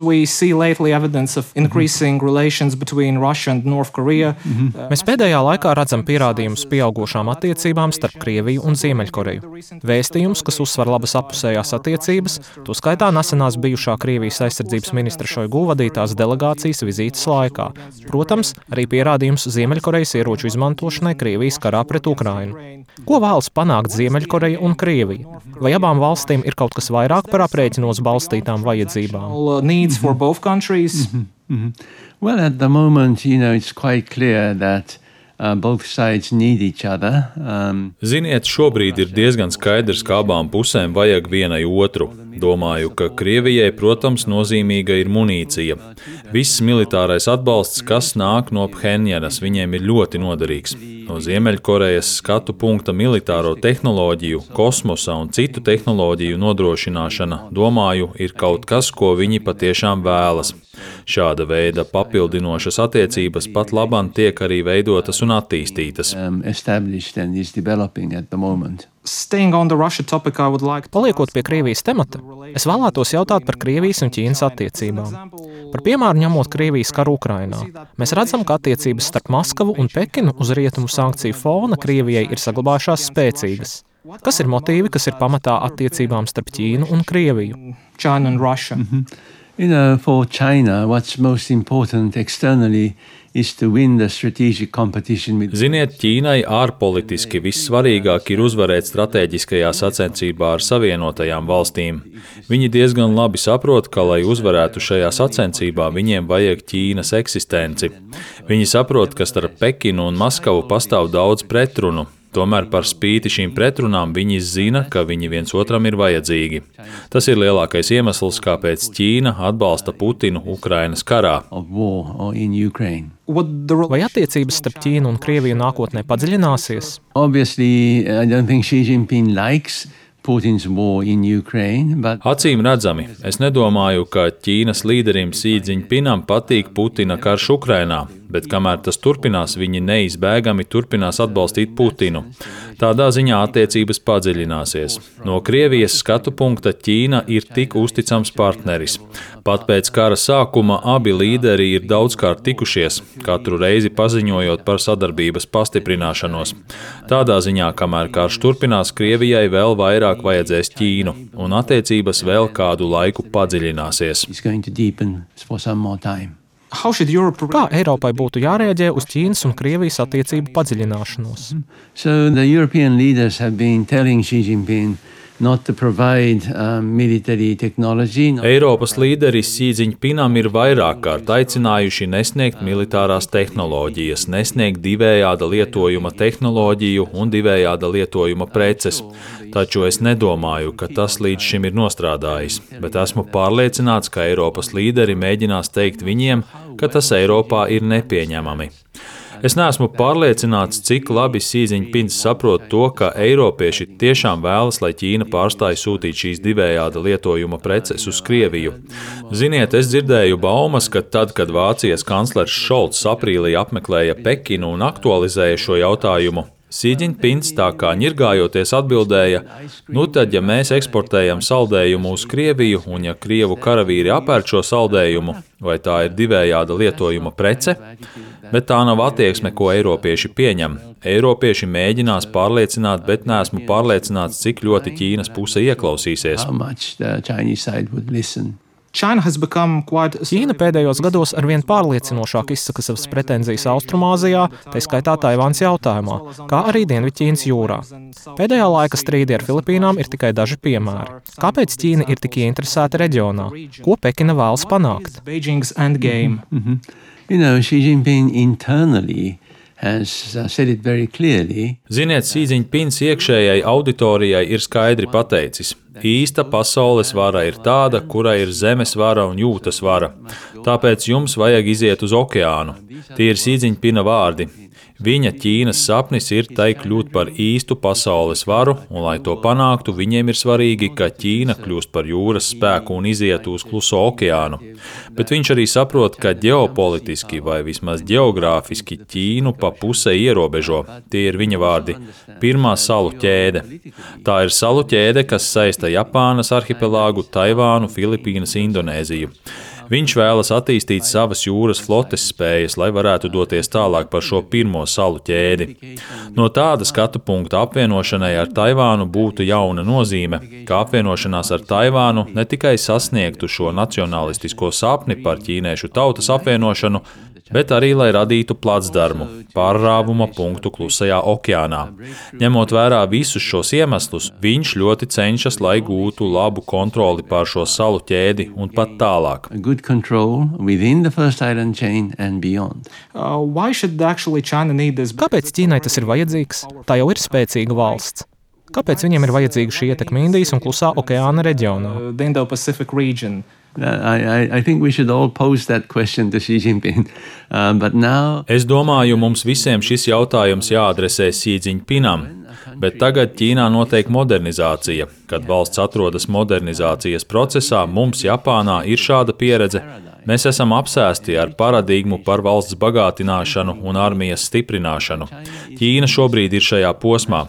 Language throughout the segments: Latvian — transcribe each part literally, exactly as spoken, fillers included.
We see lately evidence of increasing relations between Russia and North Korea. Mm-hmm. Mēs pēdējā laikā redzam pierādījumus pieaugušām attiecībām starp Krieviju un Ziemeļkoreju. Vēstījums, kas uzsver labas appusējās attiecības, to skaitā nesenās bijušā Krievijas aizsardzības ministra Šoigu vadītās delegācijas vizītes laikā. Protams, arī pierādījums Ziemeļkorejas ieroču izmantošanai Krievijas karā pret Ukrainu. Ko vēlas panākt Ziemeļkoreja un Krievija? Vai abām valstīm ir kaut kas vairāk par aprēķinos balstītām vajadzībām? For both countries. Mm-hmm. Mm-hmm. Well, at the moment, you know, it's quite clear that uh, both sides need each other. Um, Ziniet, šobrīd ir diezgan skaidrs, ka abām pusēm vajag vienai otru. Domāju, ka Krievijai, protams, nozīmīga ir munīcija. Viss militārais atbalsts, kas nāk no Phenjanas, viņiem ir ļoti noderīgs. No Ziemeļkorejas skatu punkta militāro tehnoloģiju, kosmosa un citu tehnoloģiju nodrošināšana, domāju, ir kaut kas, ko viņi patiešām vēlas. Šāda veida papildinošas attiecības pat labam tiek arī veidotas un attīstītas. Um, established and is developing at the moment. Paliekot pie Krievijas temata, es vēlētos jautāt par Krievijas un Ķīnas attiecībām. Par piemēru ņemot Krievijas karu Ukrainā, mēs redzam, ka attiecības starp Maskavu un Pekinu uz rietumu sankciju fona Krievijai ir saglabājušās spēcīgas. Kas ir motīvi, kas ir pamatā attiecībām starp Ķīnu un Krieviju? China and Russia. Mm-hmm. You know, for China, what's most important externally is to win the strategic competition with... Ziniet, Ķīnai ārpolitiski vissvarīgāk ir uzvarēt strateģiskajā sacensībā ar Savienotajām valstīm. Viņi diezgan labi saprot, ka, lai uzvarētu šajā sacensībā, viņiem vajag Ķīnas eksistenci. Viņi saprot, ka starp Pekinu un Maskavu pastāv daudz pretrunu. Tomēr par spīti šīm pretrunām viņi zina, ka viņi viens otram ir vajadzīgi. Tas ir lielākais iemesls, kāpēc Ķīna atbalsta Putinu Ukrainas karā. Vai attiecības starp Ķīnu un Krieviju nākotnē padziļināsies? Obviously, I don't think Xi Jinping likes Putin's war in Ukraine, but... Acīm redzami, es nedomāju, ka Ķīnas līderim Xi Jinpingam patīk Putina karš Ukrainā, bet kamēr tas turpinās, viņi neizbēgami turpinās atbalstīt Putinu. Tādā ziņā attiecības padziļināsies. No Krievijas skatu punkta Ķīna ir tik uzticams partneris. Pat pēc kara sākuma abi līderi ir daudzkārt tikušies, katru reizi paziņojot par sadarbības pastiprināšanos. Tādā ziņā, kamēr karš turpinās, Krievijai vēl vairāk vajadzēs Ķīnu, un attiecības vēl kādu laiku padziļināsies. Kā Eiropai būtu jārēģē uz Ķīnas un Krievijas attiecību padziļināšanos? So the European leaders have been telling Xi Jinping not to provide um, military technology. Eiropas līderis Xi Jinpingam ir vairāk kārt aicinājuši nesniegt militārās tehnoloģijas, nesniegt divējāda lietojuma tehnoloģiju un divējāda lietojuma preces. Taču es nedomāju, ka tas līdz šim ir nostrādājis, bet esmu pārliecināts, ka Eiropas līderi mēģinās teikt viņiem, ka tas Eiropā ir nepieņemami. Es neesmu pārliecināts, cik labi Xi Jinpings saprot to, ka eiropieši tiešām vēlas, lai Ķīna pārstāj sūtīt šīs divējāda lietojuma preces uz Krieviju. Ziniet, es dzirdēju baumas, ka tad, kad Vācijas kanclers Šolts aprīlī apmeklēja Pekinu un aktualizēja šo jautājumu, Xi Jinpings tā kā ņirgājoties atbildēja, nu tad, ja mēs eksportējam saldējumu uz Krieviju un ja Krievu karavīri apērk šo saldējumu, vai tā ir divējāda lietojuma prece? Bet tā nav attieksme, ko eiropieši pieņem. Eiropieši mēģinās pārliecināt, bet neesmu pārliecināts, cik ļoti Ķīnas puse ieklausīsies. Ķīna pēdējos gados arvien pārliecinošāk izsaka savas pretenzijas Austrumāzijā, tā skaitā Taivānas jautājumā, kā arī Dienvidķīnas jūrā. Pēdējā laika strīdi ar Filipīnām ir tikai daži piemēri. Kāpēc Ķīna ir tik ieinteresēta reģionā? Ko Pekina vēlas panākt? Mm-hmm. You know, Xi Jinping internally has said it very clearly. Ziniet, Xi Jinpings iekšējai auditorijai ir skaidri pateicis. Īsta pasaules vara ir tāda, kurai ir zemes vara un jūtas vara. Tāpēc jums vajag iziet uz okeānu. Tie ir Xi Jinpinga vārdi. Viņa Ķīnas sapnis ir tai kļūt par īstu pasaules varu, un lai to panāktu, viņiem ir svarīgi, ka Ķīna kļūst par jūras spēku un izietu uz Kluso okeānu. Bet viņš arī saprot, ka ģeopolitiski vai vismaz ģeogrāfiski Ķīnu pa pusē ierobežo. Tie ir viņa vārdi. Pirmā salu ķēde. Tā ir salu ķēde, kas saista Japānas arhipelāgu, Taivānu, Filipīnas, Indonēziju. Viņš vēlas attīstīt savas jūras flotes spējas, lai varētu doties tālāk par šo pirmo salu ķēdi. No tāda skatu punkta apvienošanai ar Taivānu būtu jauna nozīme, ka apvienošanās ar Taivānu ne tikai sasniegtu šo nacionalistisko sapni par ķīniešu tautas apvienošanu, bet arī, lai radītu placdarmu, pārrāvuma punktu Klusajā okeānā. Ņemot vērā visus šos iemeslus, viņš ļoti cenšas, lai gūtu labu kontroli pār šo salu ķēdi un pat tālāk. Good control within the First Island chain and beyond. Uh, why should actually China need this? Kāpēc Ķīnai tas ir vajadzīgs? Tā jau ir spēcīga valsts. Kāpēc viņiem ir vajadzīga šī ietekme Indijas un Klusā okeāna reģionā? Uh, the Indo-Pacific region. I, I, I think we should all pose that question to Xi Jinping. Um, but now... Es domāju, mums visiem šis jautājums jāadresē Xi Jinpingam, bet tagad Ķīnā notiek modernizācija. Kad valsts atrodas modernizācijas procesā, mums Japānā ir šāda pieredze. Mēs esam apsēsti ar paradigmu par valsts bagātināšanu un armijas stiprināšanu. Ķīna šobrīd ir šajā posmā.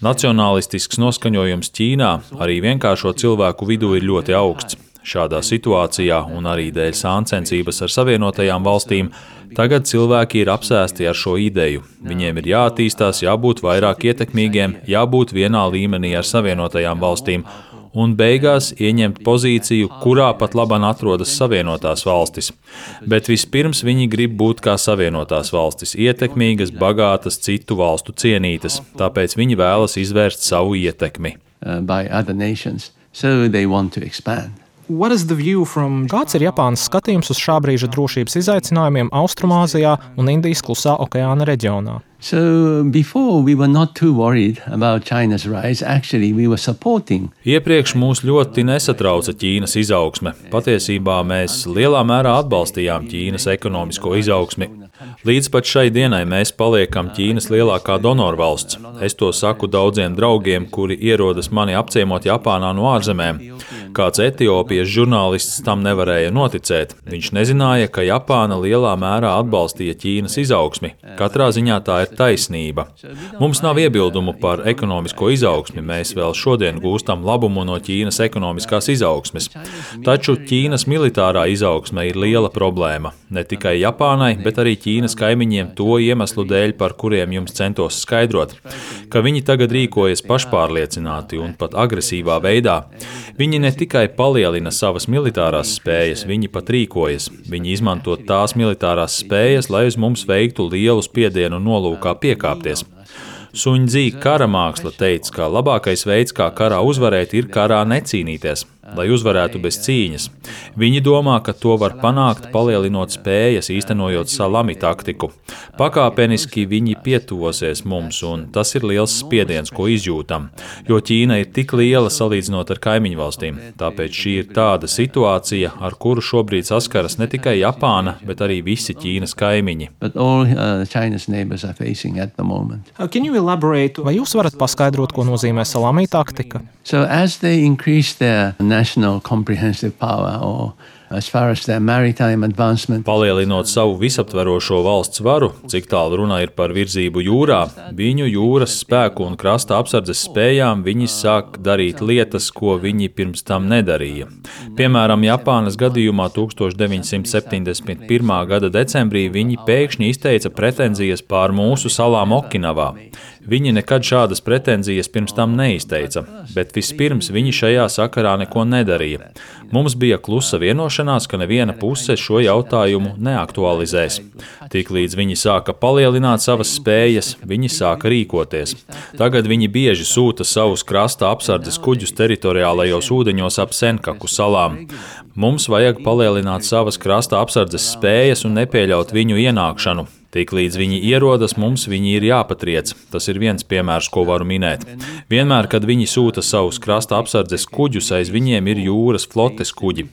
Nacionālistisks noskaņojums Ķīnā arī vienkāršo cilvēku vidū ir ļoti augsts. Šādā situācijā un arī dēļ sāncensības ar Savienotajām valstīm tagad cilvēki ir apsēsti ar šo ideju. Viņiem ir jāattīstās, jābūt vairāk ietekmīgiem, jābūt vienā līmenī ar Savienotajām valstīm un beigās ieņemt pozīciju, kurā pat labāk atrodas Savienotās valstis. Bet vispirms viņi grib būt kā Savienotās valstis, ietekmīgas, bagātas, citu valstu cienītas, tāpēc viņi vēlas izvērst savu ietekmi. Uh, by other nations, so they want to expand. What is the view from... Kāds ir Japānas skatījums uz šā brīža drošības izaicinājumiem Austrumāzijā un Indijas Klusā okeāna reģionā? So before we were not too worried about China's rise, actually we were supporting. Iepriekš mūs ļoti nesatrauca Ķīnas izaugsme. Patiesībā mēs lielā mērā atbalstījām Ķīnas ekonomisko izaugsmi. Līdz pat šai dienai mēs paliekam Ķīnas lielākā donorvalsts. Es to saku daudziem draugiem, kuri ierodas mani apciemot Japānā no ārzemēm. Kāds Etiopijas žurnālists tam nevarēja noticēt. Viņš nezināja, ka Japāna lielā mērā atbalstīja Ķīnas izaugsmi. Katrā ziņā tā ir taisnība. Mums nav iebildumu par ekonomisko izaugsmi. Mēs vēl šodien gūstam labumu no Ķīnas ekonomiskās izaugsmes. Taču Ķīnas militārā izaugsme ir liela problēma. Ne tikai Japānai, bet arī Ķīnas kaimiņiem to iemeslu dēļ, par kuriem jums centos skaidrot, ka viņi tagad rīkojas pašpārliecināti un pat agresīvā veidā. Viņi ne tikai palielina savas militārās spējas, viņi pat rīkojas. Viņi izmanto tās militārās spējas, lai uz mums veiktu lielu spiedienu nolūkā piekāpties. Suņdzī kara māksla teica, ka labākais veids, kā karā uzvarēt, ir karā necīnīties, lai uzvarētu bez cīņas. Viņi domā, ka to var panākt, palielinot spējas, īstenojot salami taktiku. Pakāpeniski viņi pietuvosies mums, un tas ir liels spiediens, ko izjūtam, jo Ķīna ir tik liela salīdzinot ar kaimiņu valstīm. Tāpēc šī ir tāda situācija, ar kuru šobrīd saskaras ne tikai Japāna, bet arī visi Ķīnas kaimiņi. But all uh, China's neighbors are facing at the moment. Uh, can you elaborate? Vai jūs varat paskaidrot, ko nozīmē salami taktika? So as they increase their national comprehensive power, or as far as their maritime advancement, palielinot savu visaptverošo valsts varu, cik tālu runa ir par virzību jūrā, viņu jūras spēku un krasta apsardzes spējām viņi sāk darīt lietas, ko viņi pirms tam nedarīja. Piemēram, Japānas gadījumā tūkstoš deviņsimt septiņdesmit pirmā gada decembrī viņi pēkšņi izteica pretenzijas pār mūsu salām Okinavā. Viņi nekad šādas pretenzijas pirms tam neizteica, bet vispirms viņi šajā sakarā neko nedarīja. Mums bija klusa vienošanās, ka neviena puse šo jautājumu neaktualizēs. Tiklīdz viņi sāka palielināt savas spējas, viņi sāka rīkoties. Tagad viņi bieži sūta savus krasta apsardzes kuģus teritoriālajos ūdeņos ap Senkaku salām. Mums vajag palielināt savas krasta apsardzes spējas un nepieļaut viņu ienākšanu. Tiklīdz viņi ierodas, mums viņi ir jāpatriec. Tas ir viens piemērs, ko varu minēt. Vienmēr, kad viņi sūta savus krasta apsardzes kuģus, aiz viņiem ir jūras flotes kuģi.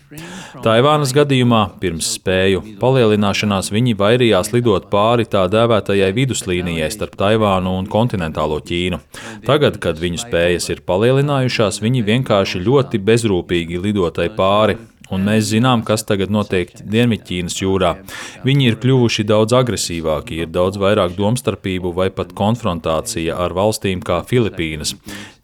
Taivānas gadījumā, pirms spēju palielināšanās, viņi vairījās lidot pāri tā dēvētajai viduslīnijai starp Taivānu un kontinentālo Ķīnu. Tagad, kad viņu spējas ir palielinājušās, viņi vienkārši ļoti bezrūpīgi lidotai pāri. Un mēs zinām, kas tagad notiek Dienvidķīnas jūrā. Viņi ir kļuvuši daudz agresīvāki, ir daudz vairāk domstarpību vai pat konfrontācija ar valstīm kā Filipīnas.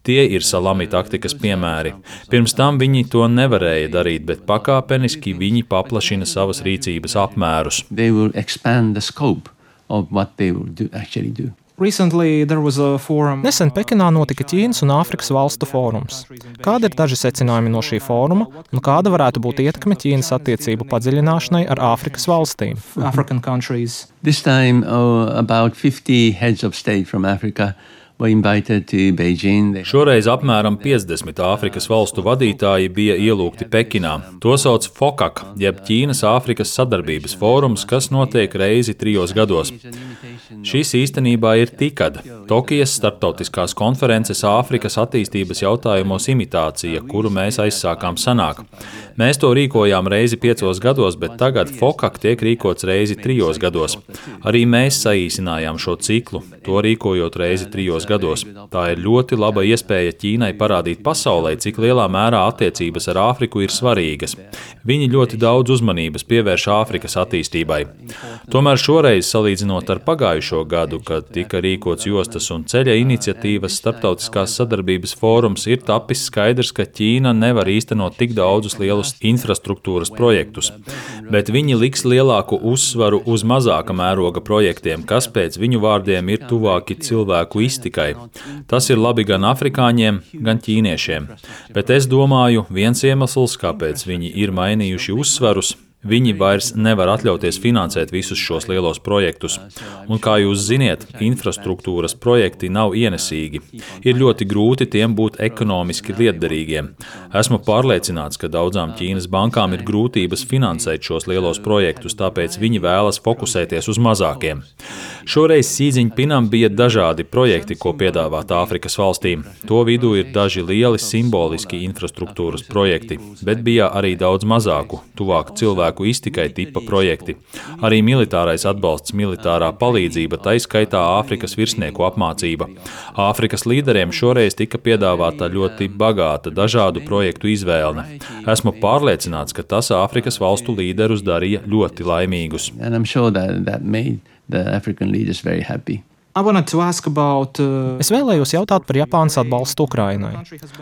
Tie ir salami taktikas piemēri. Pirms tam viņi to nevarēja darīt, bet pakāpeniski viņi paplašina savas rīcības apmērus. They will expand the scope of what they will do, actually do. Recently, there was a forum. Nesen Pekinā notika Ķīnas un Āfrikas valstu fórums. Kādi ir daži secinājumi no šī fóruma un kāda varētu būt ietekme Ķīnas attiecību padziļināšanai ar Āfrikas valstīm? African countries. This time, oh, about fifty heads of state from Africa were invited to Beijing. They Šoreiz apmēram piecdesmit Āfrikas valstu vadītāji bija ielūgti Pekinā. To sauc FOCAC, jeb Ķīnas-Āfrikas sadarbības fórums, kas notiek reizi trijos gados. Šis īstenībā ir TICAD, Tokijas starptautiskās konferences Āfrikas attīstības jautājumos imitācija, kuru mēs aizsākām senāk. Mēs to rīkojām reizi piecos gados, bet tagad FOCAC tiek rīkots reizi trijos gados. Arī mēs saīsinājām šo ciklu, to rīkojot reizi trijos gados. Tā ir ļoti laba iespēja Ķīnai parādīt pasaulē, cik lielā mērā attiecības ar Āfriku ir svarīgas. Viņi ļoti daudz uzmanības pievērš Āfrikas attīstībai. Tomēr šoreiz, salīdzinot ar pagājušo gadu, kad tika rīkots jostas un ceļa iniciatīvas starptautiskās sadarbības fórums, ir tapis skaidrs, ka Ķīna nevar īstenot tik daudzus lielus infrastruktūras projektus, bet viņi liks lielāku uzsvaru uz mazāka mēroga projektiem, kas pēc viņu vārdiem ir tuvāki cilvēku iztikai. Tas ir labi gan afrikāņiem, gan ķīniešiem, bet es domāju, viens iemesls, kāpēc viņi ir mainījuši uzsvarus, viņi vairs nevar atļauties finansēt visus šos lielos projektus. Un, kā jūs ziniet, infrastruktūras projekti nav ienesīgi. Ir ļoti grūti tiem būt ekonomiski lietderīgiem. Esmu pārliecināts, ka daudzām Ķīnas bankām ir grūtības finansēt šos lielos projektus, tāpēc viņi vēlas fokusēties uz mazākiem. Šoreiz Xi Jinpingam bija dažādi projekti, ko piedāvāt Āfrikas valstīm. To vidū ir daži lieli simboliski infrastruktūras projekti, bet bija arī daudz mazāku, tuvāk cilvēku iztikai tipa projekti. Arī militārais atbalsts, militārā palīdzība, tai skaitā Āfrikas virsnieku apmācība. Āfrikas līderiem šoreiz tika piedāvāta ļoti bagāta dažādu projektu izvēle. Esmu pārliecināts, ka tas Āfrikas valstu līderus darīja ļoti laimīgus. And I'm sure that that made the African leaders very happy. I wanted to ask about, uh, Es vēlējos jautāt par Japānas atbalstu Ukrainai.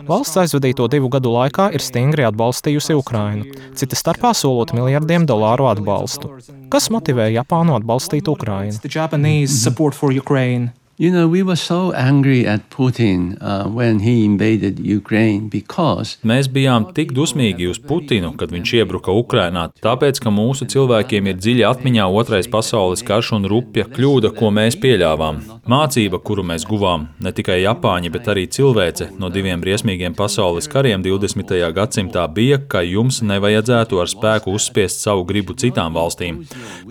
Valsts aizvadīto divu gadu laikā ir stingri atbalstījusi Ukrainu, cita starpā solot miljardiem dolāru atbalstu. Kas motivē Japānu atbalstīt Ukrainu? the Japanese support for Ukraine. You know, we were so angry at Putin uh, when he invaded Ukraine because Mēs bijām tik dusmīgi uz Putinu, kad viņš iebruka Ukrainā, tāpēc, ka mūsu cilvēkiem ir dziļi atmiņā otrais pasaules karš un rupja kļūda, ko mēs pieļāvām. Mācība, kuru mēs guvām, ne tikai Japāņi, bet arī cilvēce no diviem briesmīgiem pasaules kariem divdesmitajā gadsimtā bija, ka jums nevajadzētu ar spēku uzspiest savu gribu citām valstīm.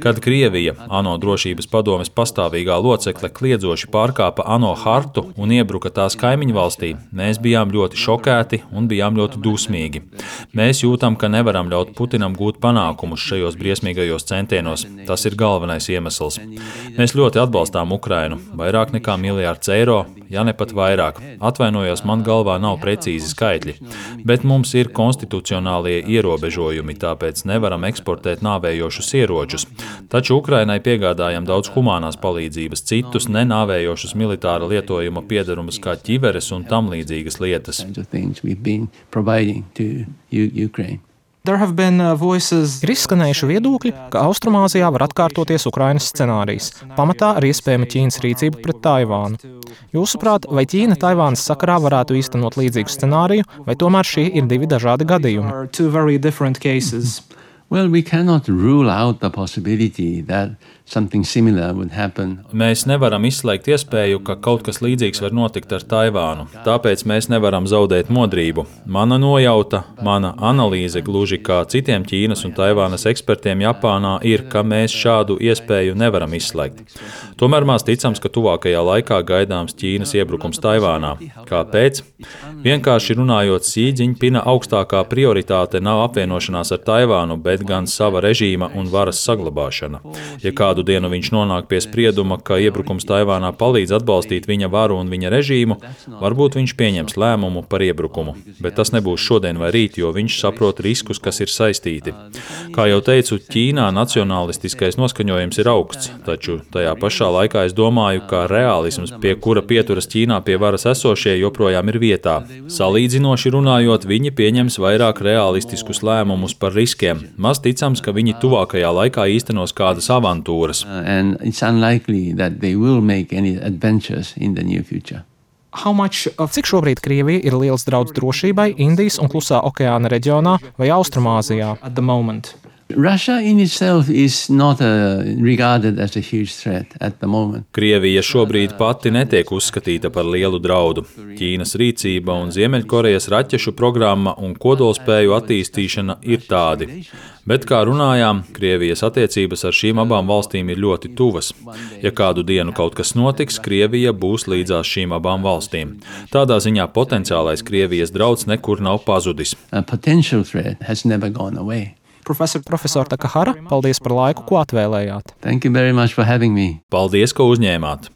Kad Krievija, ANO drošības padomes pastāvīgā locekle, kliedzoši pārkāpa ANO hartu un iebruka tās kaimiņu valstī, mēs bijām ļoti šokēti un bijām ļoti dusmīgi. Mēs jūtam, ka nevaram ļaut Putinam gūt panākumus šajos briesmīgajos centienos. Tas ir galvenais iemesls. Mēs ļoti atbalstām Ukrainu, vairāk nekā miljārds eiro, ja ne pat vairāk. Atvainojos, man galvā nav precīzi skaitļi, bet mums ir konstitucionālie ierobežojumi, tāpēc nevaram eksportēt nāvējošus ieročus. Taču Ukrainai piegādājam daudz humānās palīdzības, citus nenāvējošus militāra lietojuma piedarumus kā ķiveres un tam līdzīgas lietas. kinds of things we've been providing to U- Ukraine. There have been uh, voices. Ir izskanējuši viedokļi, ka Austrumāzijā var atkārtoties Ukrainas scenārijs, pamatā ar iespējamu Ķīnas rīcību pret Taivānu. Jūsuprāt, vai Ķīna Taivānas sakarā varētu īstenot līdzīgu scenāriju, vai tomēr šie ir divi dažādi gadījumi? Are two very different cases. Well, we cannot rule out the possibility that something similar would happen. Mēs nevaram izslēgt iespēju, ka kaut kas līdzīgs var notikt ar Taivānu, tāpēc mēs nevaram zaudēt modrību. Mana nojauta, mana analīze, gluži kā citiem Ķīnas un Taivānas ekspertiem Japānā, ir, ka mēs šādu iespēju nevaram izslēgt. Tomēr maz ticams, ka tuvākajā laikā gaidāms Ķīnas iebrukums Taivānā. Kāpēc? Vienkārši runājot, Xi Jinpinga augstākā prioritāte nav apvienošanās ar Taivānu, bet Uh, and it's unlikely that they will make any adventures in the near future. How much of Cik šobrīd Krievija ir liels draudz drošībai Indijas un Klusā okeāna reģionā vai Austrumāzijā? at the moment? Russia in itself is not uh, regarded as a huge threat at the moment. Krievija šobrīd pati netiek uzskatīta par lielu draudu. Ķīnas rīcība un Ziemeļkorejas raķešu programma un kodolspēju attīstīšana ir tādi. Bet, kā runājām, Krievijas attiecības ar šīm abām valstīm ir ļoti tuvas. Ja kādu dienu kaut kas notiks, Krievija būs līdzās šīm abām valstīm. Tādā ziņā potenciālais Krievijas drauds nekur nav pazudis. A potential threat has never gone away. Professor, Profesor Takahara, paldies par laiku, ko atvēlējāt. Thank you very much for having me. Paldies, ka uzņēmāt!